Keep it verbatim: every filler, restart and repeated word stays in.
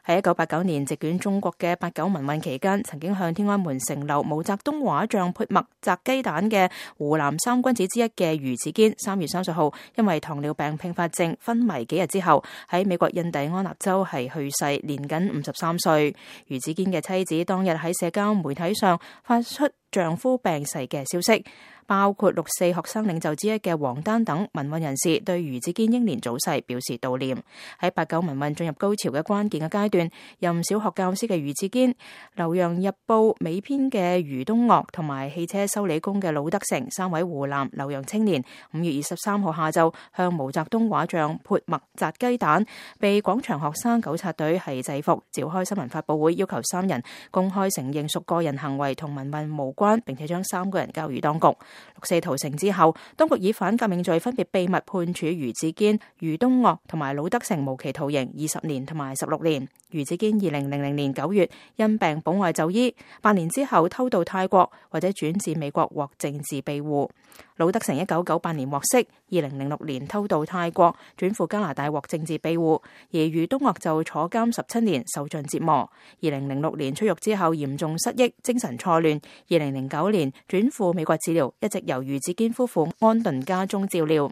喺一九八九年席捲中國嘅八九民運期間，曾經向天安門城樓毛澤東畫像潑墨砸雞蛋嘅湖南三君子之一嘅余子堅，三月三十號因為糖尿病併發症昏迷幾日之後，喺美國印第安納州係去世，年僅五十三歲。余子堅嘅妻子當日喺社交媒體上發出丈夫病逝嘅消息，包括六四學生領袖之一嘅王丹等民運人士對余子堅英年早逝表示悼念。喺八九民運進入高潮嘅關鍵嘅階段，任小學教師嘅余子堅、留洋日報尾編嘅余東岳同埋汽車修理工嘅魯德成三位湖南留洋青年，五月二十三號下晝向毛澤東畫像潑墨砸雞蛋，被廣場學生糾察隊係制服，召開新聞發佈會，要求三人公開承認屬個人行為同民運無關，並且將三個人交予當局。六四屠城之後，當局以反革命罪分別秘密判處余子堅、余東岳同埋魯德成無期徒刑二十年同埋十六年。余子堅二零零零年九月因病保外就醫，八年之後偷渡泰國或者轉至美國獲政治庇護。魯德成一九九八年獲釋，二零零六年偷渡泰國轉赴加拿大獲政治庇護，而余東岳就坐監十七年受盡折磨。二零零六年出獄之後嚴重失憶、精神錯亂，二零零九年轉赴美國治療，一直由余子堅夫婦安頓家中照料。